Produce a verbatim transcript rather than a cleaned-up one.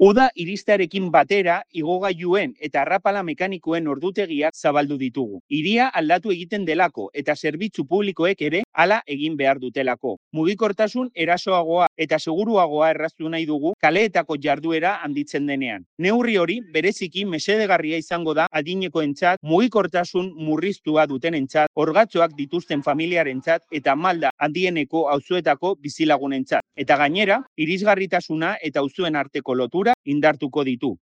Uda iristearekin batera, igogailuen eta arrapala mekanikoen ordutegiak zabaldu ditugu. Hiria aldatu egiten delako eta zerbitzu publikoek ere hala egin behar dutelako. Mugikortasun erasoagoa eta seguruagoa erraztu nahi dugu kaleetako jarduera handitzen denean. Neurri hori bereziki mesedegarria izango da adinekoentzat, mugikortasun murriztua dutenentzat, orgatzoak dituzten familiarentzat eta malda handieneko auzoetako bizilagunentzat. Eta gainera, irisgarritasuna eta auzoen arteko lotura indartuko ditu.